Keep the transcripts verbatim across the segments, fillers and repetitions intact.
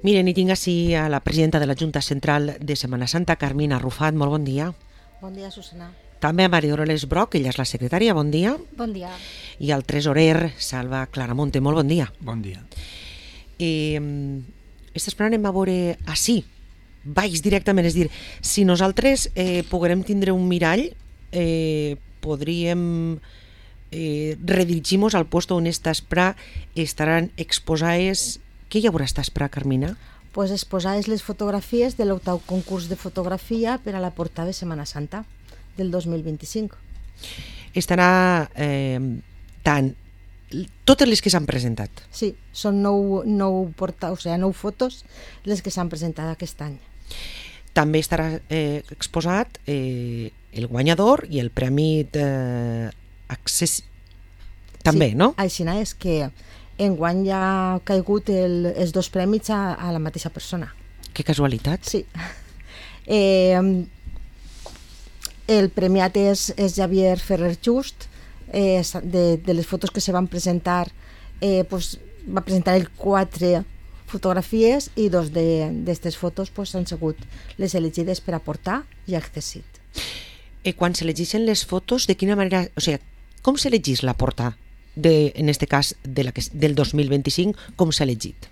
Miren, i tinc així a la presidenta de la Junta Central de Setmana Santa, Carmina Arrufat. Molt bon dia. Bon dia, Susana. També a Maria Dolores Broc, ella és la secretària. Bon dia. Bon dia. I al tresorer, Salva Claramonte. Molt bon dia. Bon dia. Eh, esta setmana anem a veure així, baix directament, és dir, si nosaltres eh, poguérem tindre un mirall, eh, podríem eh, redirigir-nos al lloc on esta espra estaran exposades. Què hi haurà esta espra, Carmina? Pues exposades les fotografies de l'octau concurs de fotografia per a la portada de Setmana Santa del dos mil vint-i-cinc. Estarà eh, tant totes les que s'han presentat. Sí, són nou, nou, porta, o sigui, nou fotos les que s'han presentat aquest any. També estarà eh, exposat eh, el guanyador i el premi d'accés. També, sí, no? Així és que enguany ja ha caigut el, els dos prèmits a, a la mateixa persona. Que casualitat. Sí. Eh, el premiat és, és Javier Ferrer Just. Eh, de, de les fotos que se van presentar, eh, pues, va presentar el quatre fotografies i dos d'aquestes fotos pues, han sigut les elegides per aportar i accessit. Eh, quan s'elegeixen les fotos, de quina manera, o sigui, com s'elegís la portada? De, en este cas de la que, del dos mil vint-i-cinc, com s'ha elegit?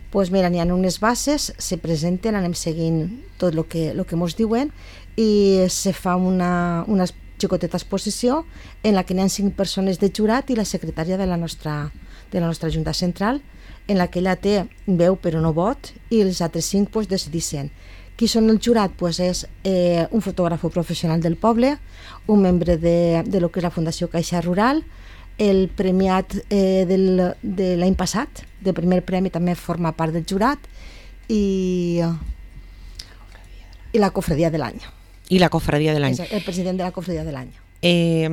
Pues mira, n'hi ha unes bases, se presenten, anem seguint tot el que, lo que mos diuen i se fa una, una xicoteta exposició en la que n'hi ha cinc persones de jurat i la secretària de la nostra, de la nostra Junta Central, en la que ella té veu però no vot, i els altres cinc pues, decideixen. Qui són el jurat? Pues és eh, un fotògraf professional del poble, un membre de, de lo que és la Fundació Caixa Rural, el premiat eh, del, de l'any passat, del primer premi, també forma part del jurat, i, i la cofradia de l'any. I la cofradia de l'any. És el president de la cofradia de l'any. Eh,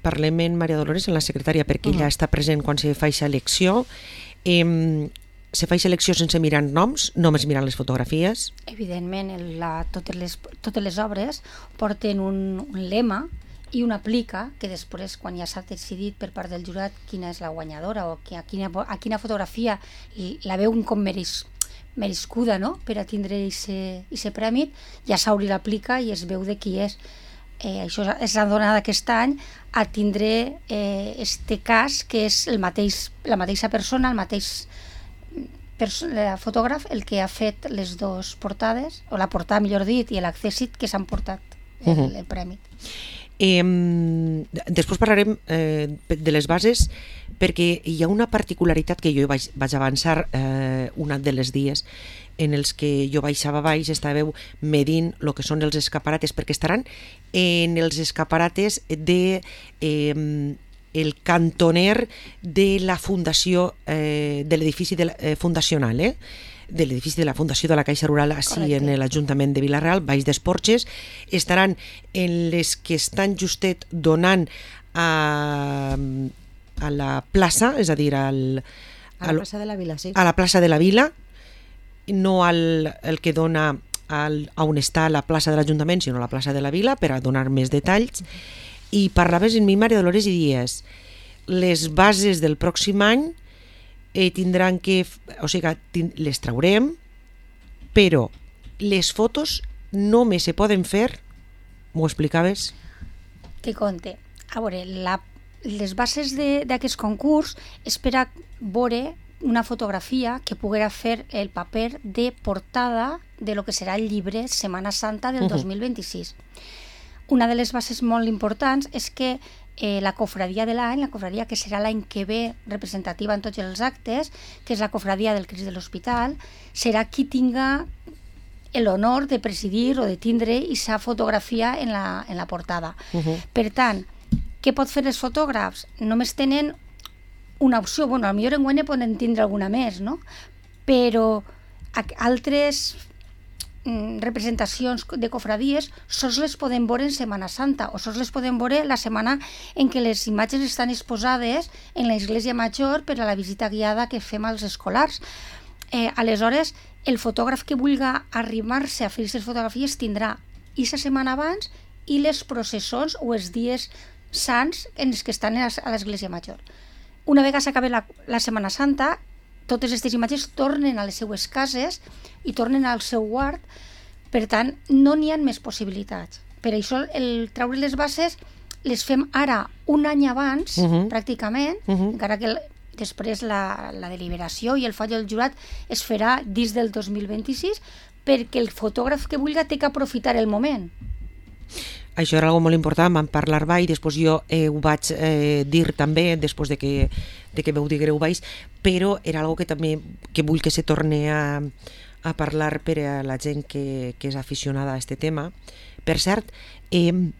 parlem en Maria Dolores, en la secretària, perquè uh -huh. ella està present quan se fa aquesta elecció. Eh, se fa aquesta elecció sense mirar noms, només mirant les fotografies? Evidentment, la, totes, les, totes les obres porten un, un lema i una plica que després, quan ja s'ha decidit per part del jurat quina és la guanyadora o a quina, a quina fotografia la veuen com mereix, merescuda, no?, per a tindre aquest premi, ja s'obri la plica i es veu de qui és. Eh, això és la donada aquest any a tindre eh, este cas, que és el mateix, la mateixa persona, el mateix perso el fotògraf, el que ha fet les dues portades, o la portada, millor dit, i l'accèssit que s'han portat el, uh -huh. el premi. Eh, després parlarem eh, de les bases, perquè hi ha una particularitat que jo vaig, vaig avançar eh, un de les dies en els que jo baixava baix, estàveu medint el que són els escaparates, perquè estaran en els escaparates de eh, el cantoner de la fundació eh, de l'edifici de la, eh, fundacional, eh? de l'edifici de la Fundació de la Caixa Rural així en l'Ajuntament de Vila-real, baix dels Porxes. Estaran en les que estan justet donant a, a la plaça, és a dir, al, a la plaça de la Vila, sí. A la plaça de la Vila, no al el que dona al, a on està la plaça de l'Ajuntament, sinó a la plaça de la Vila, per a donar més detalls. I parlaves en mi, Maria Dolores, i dies les bases del pròxim any Eh, tindran que, o sigui, les traurem, però les fotos només se poden fer, m'ho explicaves? Te conte. A veure, la, les bases d'aquest concurs és per a veure una fotografia que poguera fer el paper de portada de lo que serà el llibre Setmana Santa del uh -huh. dos mil vint-i-sis. Una de les bases molt importants és que Eh, la cofradia de l'any, la cofradia que serà l'any que ve representativa en tots els actes, que és la cofradia del Crist de l'Hospital, serà qui tinga l'honor de presidir o de tindre aquesta fotografia en la, en la portada. Uh -huh. Per tant, què pot fer els fotògrafs? Només tenen una opció, bueno, potser enguany ne poden tindre alguna més, no? Però altres representacions de cofradies sols les podem veure en Setmana Santa o sols les podem veure la setmana en què les imatges estan exposades en l'església major per a la visita guiada que fem als escolars. Eh, aleshores, el fotògraf que vulgui arribar-se a fer aquestes fotografies tindrà aquesta setmana abans i les processons o els dies sants en els que estan a l'església major. Una vegada s'acabi la, la Setmana Santa, totes aquestes imatges tornen a les seues cases i tornen al seu guard, per tant, no n'hi ha més possibilitats. Per això, el treure les bases les fem ara un any abans, uh -huh. pràcticament, uh -huh. encara que el, després la, la deliberació i el fallo del jurat es farà dins del dos mil vint-i-sis, perquè el fotògraf que vulgui té que aprofitar el moment. Això era algo molt important, vam parlar i després jo eh, ho vaig eh, dir també, després de que, de que veu diguereu baix, però era algo que també que vull que se torne a, a parlar per a la gent que, que és aficionada a aquest tema. Per cert, eh,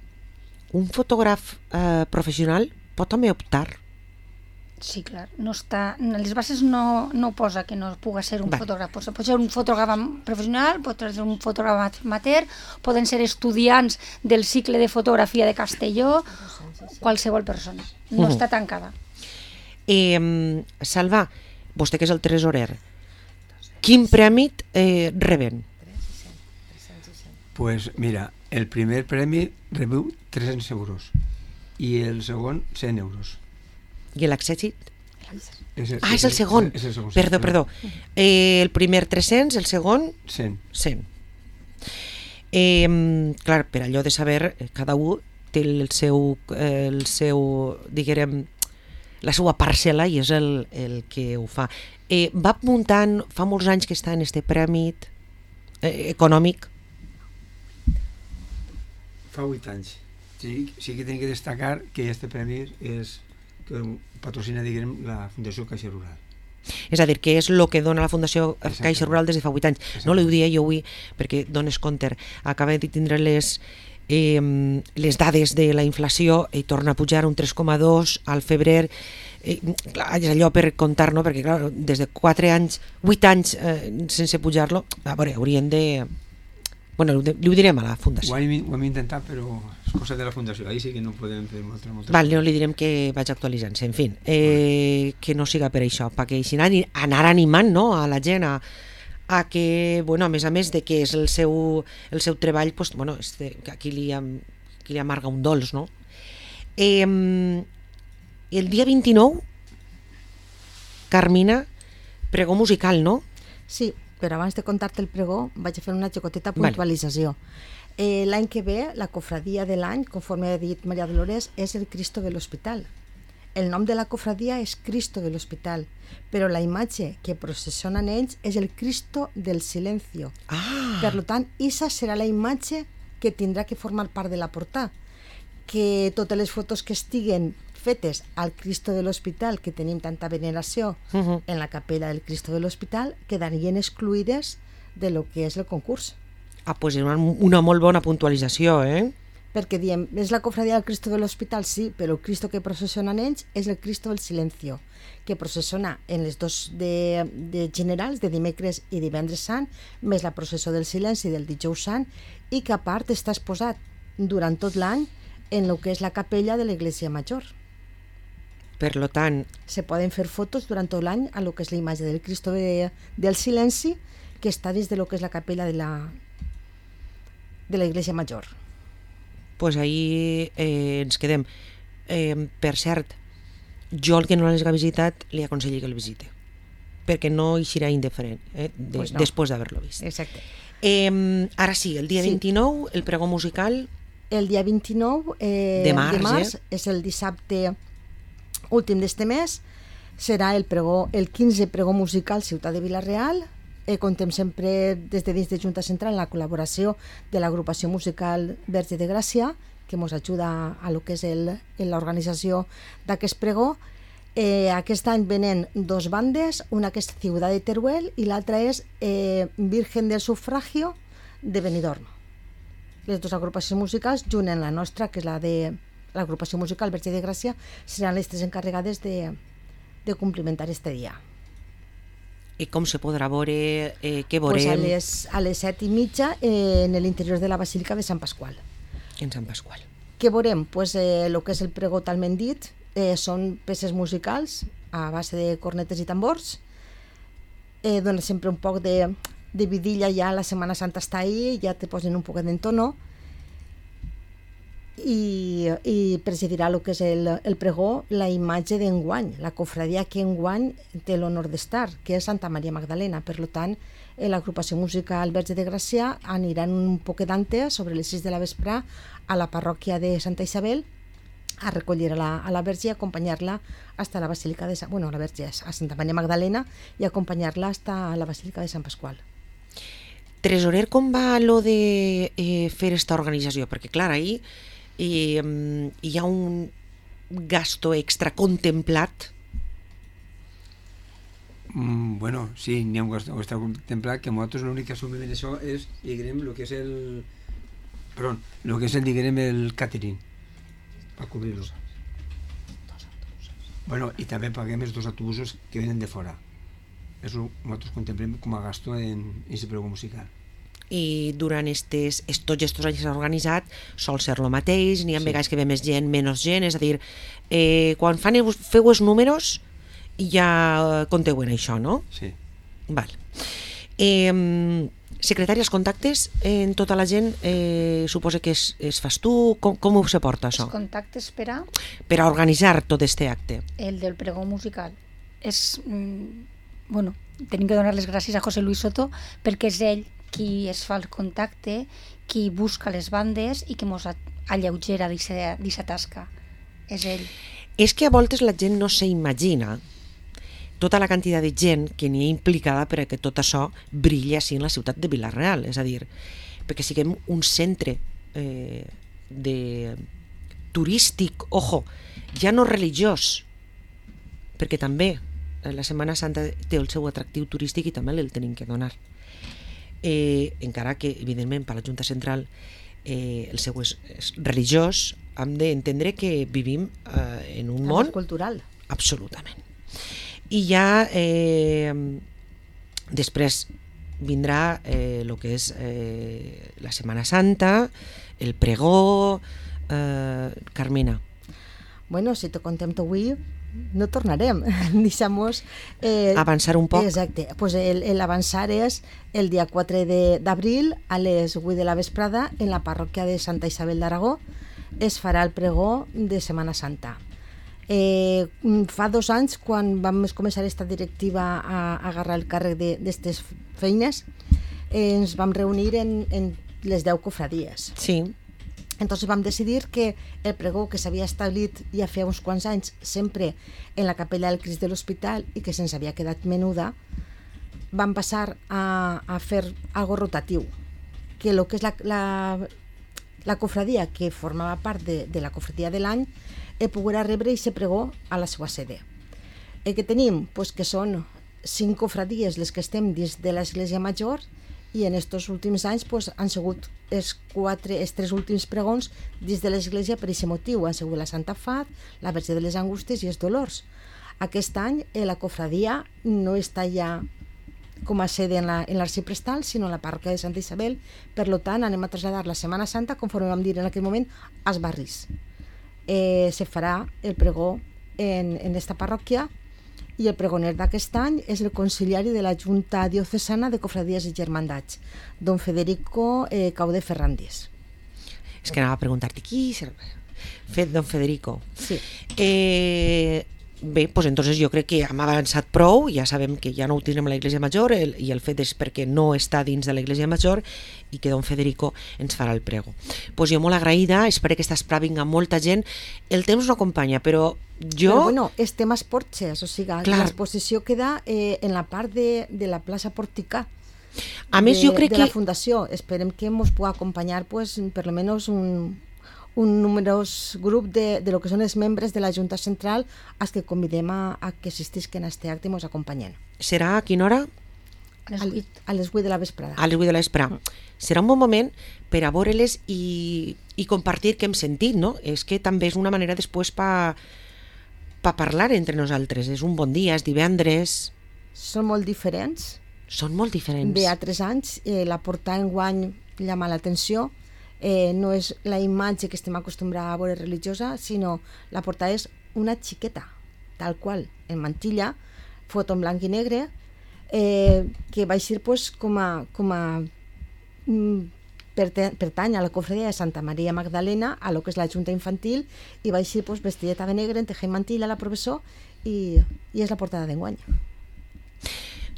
un fotògraf eh, professional pot també optar? Sí, clar. No està, les bases no, no posa que no pugui ser un vale. fotògraf. Pot ser un fotògraf professional, pot ser un fotògraf amateur, poden ser estudiants del cicle de fotografia de Castelló, qualsevol persona. No uh -huh. està tancada. Eh, Salva, vostè que és el tresorer, quin premi eh, reben? Pues mira, el primer premi rebeu tres-cents euros i el segon cent euros. I l'accèssit? És el, ah, és el segon. És el segon. Perdó, perdó. Eh, el primer tres-cents, el segon cent. cent. Eh, clar, per allò de saber, cada un té el seu, el seu diguem, la seva parcel·la i és el, el que ho fa. Eh, va muntant, fa molts anys que està en este premi eh, econòmic. Fa vuit anys. Sí, sí que tinc que destacar que este premi és que patrocina, diguem, la Fundació Caixa Rural. És a dir, que és el que dona la Fundació Caixa Rural des de fa vuit anys. No li ho dia jo avui perquè dones compte. Acaba de tindre les, eh, les dades de la inflació i torna a pujar un tres coma dos al febrer. Eh, clar, és allò per comptar, no? Perquè clar, des de quatre anys, vuit anys eh, sense pujar-lo, a veure, haurien de... Bueno, li ho direm a la Fundació. Ho hem, ho hem intentat, però és cosa de la Fundació. Ahí sí que no podem fer moltes, moltes Val, no li direm que vaig actualitzant-se. En fi, eh, que no siga per això, perquè així anar animant, no?, a la gent a, a que, bueno, a més a més de que és el seu, el seu treball, pues, bueno, este, que aquí li, aquí li amarga un dolç, no? Eh, el dia vint-i-nou, Carmina, pregó musical, no? Sí, però abans de contar-te el pregó vaig a fer una xicoteta puntualització. Vale. Eh, l'any que ve, la cofradia de l'any, conforme ha dit Maria Dolores, és el Cristo de l'Hospital. El nom de la cofradia és Cristo de l'Hospital, però la imatge que processionen ells és el Cristo del Silencio. Ah. Per tant, esa serà la imatge que tindrà que formar part de la portada. Que totes les fotos que estiguen fetes al Cristo de l'Hospital, que tenim tanta veneració uh -huh. en la capella del Cristo de l'Hospital, quedarien excluïdes de lo que és el concurs. Ah, pues és una, una molt bona puntualització, eh? Perquè diem, és la cofradia del Cristo de l'Hospital, sí, però el Cristo que processionen ells és el Cristo del Silencio, que processiona en les dos de, de generals, de dimecres i divendres sant, més la processó del silenci del dijous sant, i que a part està exposat durant tot l'any en el que és la capella de l'Església Major. Per lo tant... Se poden fer fotos durant tot l'any a lo que és la imatge del Cristo de, del Silenci, que està dins de lo que és la capella de la de l'Església Major. Pues ahí eh, ens quedem. Eh, per cert, jo el que no l'hagi visitat li aconsello que el visite, perquè no hi serà indiferent eh, de, pues no. Després d'haver-lo vist. Exacte. Eh, ara sí, el dia sí. vint-i-nou, el pregó musical... El dia vint-i-nou eh, de març, de març eh? és el dissabte últim d'este mes, serà el pregó, el quinze pregó musical Ciutat de Vila-real. Eh, contem sempre des de dins de Junta Central en la col·laboració de l'agrupació musical Verge de Gràcia, que ens ajuda a lo que és l'organització d'aquest pregó. Eh, aquest any venen dos bandes, una que és Ciutat de Teruel i l'altra és eh, Virgen del Sufragio de Benidorm. Les dues agrupacions musicals, junt en la nostra, que és la de l'agrupació musical Verge de Gràcia, seran les tres encarregades de, de complimentar este dia. I com se podrà veure, eh, què veurem? Pues a les, a les set i mitja eh, en l'interior de la Basílica de Sant Pasqual. En Sant Pasqual. Què veurem? Pues eh, el que és el pregó talment dit, eh, són peces musicals a base de cornetes i tambors. Eh, dona sempre un poc de, de vidilla, ja la Setmana Santa està ahí, ja te posen un poquet d'entono. i, i presidirà el que és el, el pregó la imatge d'enguany, la cofradia que enguany té l'honor d'estar, que és Santa Maria Magdalena. Per tant, l'agrupació musical Verge de Gràcia aniran un poc d'antes, sobre les sis de la vespre, a la parròquia de Santa Isabel, a recollir a la, a la Verge i acompanyar-la hasta la Basílica de Sant... Bueno, a la Verge, a Santa Maria Magdalena, i acompanyar-la hasta la Basílica de Sant Pasqual. Tresorer, com va lo de eh, fer esta organització? Perquè, clar, ahir eh, hi ha un gasto extra contemplat. Mm, bueno, sí, n'hi ha un gasto extra contemplat, que nosaltres l'únic que assumim en això és, diguem, el que és el... Perdó, el que és el, diguem, el catering, per cobrir-lo. Bueno, i també paguem els dos autobusos que venen de fora. Això nosaltres contemplem com a gasto en aquest pregó musical. I durant estes, tots estos anys que s'ha organitzat sol ser el mateix, n'hi ha sí. vegades que ve més gent, menys gent, és a dir, eh, quan fan, feu els números ja compteu en això, no? Sí. Val. Eh, secretari, els contactes en tota la gent, eh, suposa que es, es fas tu, com, com ho se porta això? Els contactes per a... Per a organitzar tot este acte. El del pregó musical. És... Mm, bueno, tenim que donar les gràcies a José Luis Soto perquè és ell qui es fa el contacte, qui busca les bandes i qui mos alleugera d'aquesta tasca. És ell. És que a voltes la gent no s'imagina tota la quantitat de gent que n'hi ha implicada perquè tot això brilla així en la ciutat de Vila-real, és a dir, perquè siguem un centre eh, de turístic, ojo, ja no religiós, perquè també la Setmana Santa té el seu atractiu turístic i també el tenim que donar. Eh, encara que, evidentment, per la Junta Central eh, el seu és, és religiós, hem d'entendre que vivim eh, en un món cultural. Absolutament. I ja eh, després vindrà el eh, que és eh, la Setmana Santa, el pregó, eh, Carmina. Bueno, si te contem avui no tornarem, deixamos eh, avançar un poc. Exacte, pues l'avançar és el dia quatre d'abril a les vuit de la vesprada en la parròquia de Santa Isabel d'Aragó es farà el pregó de Setmana Santa. Eh, fa dos anys, quan vam començar aquesta directiva a, a agarrar el càrrec d'aquestes feines, eh, ens vam reunir en, en les deu cofradies. Sí. Entonces vam decidir que el pregó que s'havia establit ja feia uns quants anys sempre en la capella del Crist de l'Hospital i que se'ns havia quedat menuda, vam passar a, a fer algo rotatiu, que el que és la, la, la cofradia que formava part de, de la cofradia de l'any eh, poguera rebre aquest pregó a la seva sede. El que tenim, pues, que són cinc cofradies les que estem dins de l'Església Major i en aquests últims anys pues, han sigut els, quatre, els tres últims pregons dins de l'Església per aquest motiu. Han sigut la Santa Fat, la Verge de les Angústies i els Dolors. Aquest any eh, la cofradia no està ja com a sede en l'arxiprestal, sinó en la parròquia de Santa Isabel. Per tant, anem a traslladar la Setmana Santa, conforme vam dir en aquell moment, als barris. Eh, se farà el pregó en, en esta parròquia i el pregoner d'aquest any és el conciliari de la Junta Diocesana de Cofradies i Germandats, don Federico eh, Caude Ferrandis. És que anava a preguntar-te qui és fet don Federico. Sí. Eh, bé, doncs entonces jo crec que hem avançat prou, ja sabem que ja no ho tindrem a l'Església Major el, i el fet és perquè no està dins de l'Església Major i que don Federico ens farà el prego. Doncs jo molt agraïda, espero que esta espera vinga molta gent. El temps no acompanya, però jo... Però bueno, estem als Porxes, o sigui, l'exposició queda eh, en la part de, de la plaça Porticà. A més, de, jo crec de que... la Fundació. Esperem que ens pugui acompanyar pues, per lo menos un, un numerós grup de, de lo que són els membres de la Junta Central als que convidem a, a que assistisquen a aquest acte i ens acompanyen. Serà a quina hora? A les vuit. A les vuit de la vesprada. A les vuit de la vesprada. Serà un bon moment per a veure-les i, i compartir què hem sentit, no? És que també és una manera després per pa parlar entre nosaltres. És un bon dia, és divendres. Són molt diferents. Són molt diferents. Ve a tres anys, eh, la portada enguany llama l'atenció. Eh, no és la imatge que estem acostumbrats a veure religiosa, sinó la portada és una xiqueta, tal qual, en mantilla, foto en blanc i negre, eh, que va eixir pues, com a, com a mm, pertany a la cofradia de Santa Maria Magdalena, a lo que és la Junta Infantil, i va així pues, vestideta de negre, en tejer mantilla, la professor, i, i és la portada d'enguany.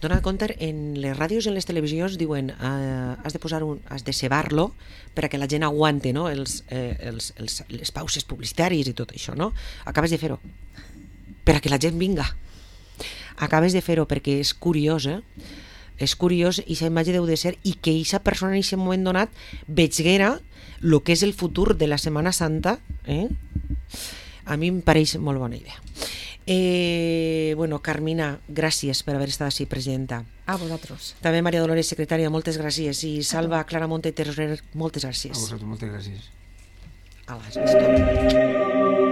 Dona compte, en les ràdios i en les televisions diuen eh, has de posar un, has de cebar-lo perquè la gent aguante, no? els, eh, els, els, les pauses publicitàries i tot això, no? Acabes de fer-ho perquè la gent vinga. Acabes de fer-ho perquè és curiós, eh? És curiós, i aquesta imatge deu de ser, i que aquesta persona en aquest moment donat veiguera el que és el futur de la Setmana Santa, eh? A mi em pareix molt bona idea. Eh, bueno, Carmina, gràcies per haver estat així presenta. A vosaltres. També Maria Dolores, secretària, moltes gràcies. I Salva Claramonte, tesorer, moltes gràcies. A vosaltres, moltes gràcies. A les